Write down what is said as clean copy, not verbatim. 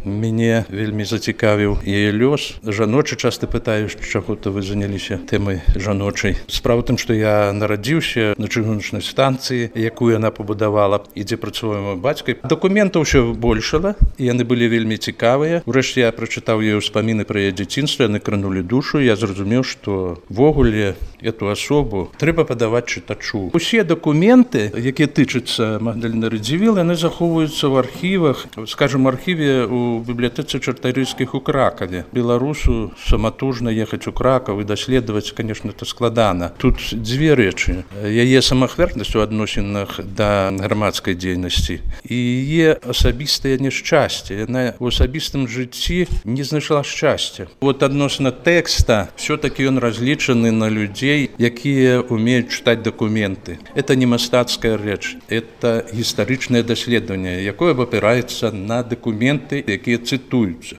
мяне вельмі зацікавіў яе лёс. Жаночы часта пытаюць, чаго-то вы заняліся тэмай жаночай. Справа ў тым, што я нарадзіўся на чыгуначнай станцыі, якую яна пабудавала, і дзе працуе мой бацька. Дакументаў ўсё большала, і яны былі вельмі цікавыя. Урэшце я прачытаў яе ўспаміны пра яе дзяцінства, яны кранулі душу. Я зразумеў, што ввогуле эту асобу трэба падаваць чытачу. Усе дакументы, якія тычацца Магдаліны Радзівіл, яны захоўваюцца ў архівах, скажам, архіве у бібліятэцы Чартарыйскіх у Кракаве. Беларусу саматужна ехаць у Кракаў і даследаваць, конечно, это складана. Тут дзве рэчы. Яе самаахвярнасць у адносінах да грамадскай дзейнасці і яе асабістае няшчасце. Яна ў асабістым жыцці не знайшла шчасця. Вот адносна тэкста все-таки ён разлічаны на людзей, якія умеюць чытаць дакументы. Это не мастацкая рэч, это гістарычнае даследаванне, якое абапіраецца на дакументы, якія цытуюцца.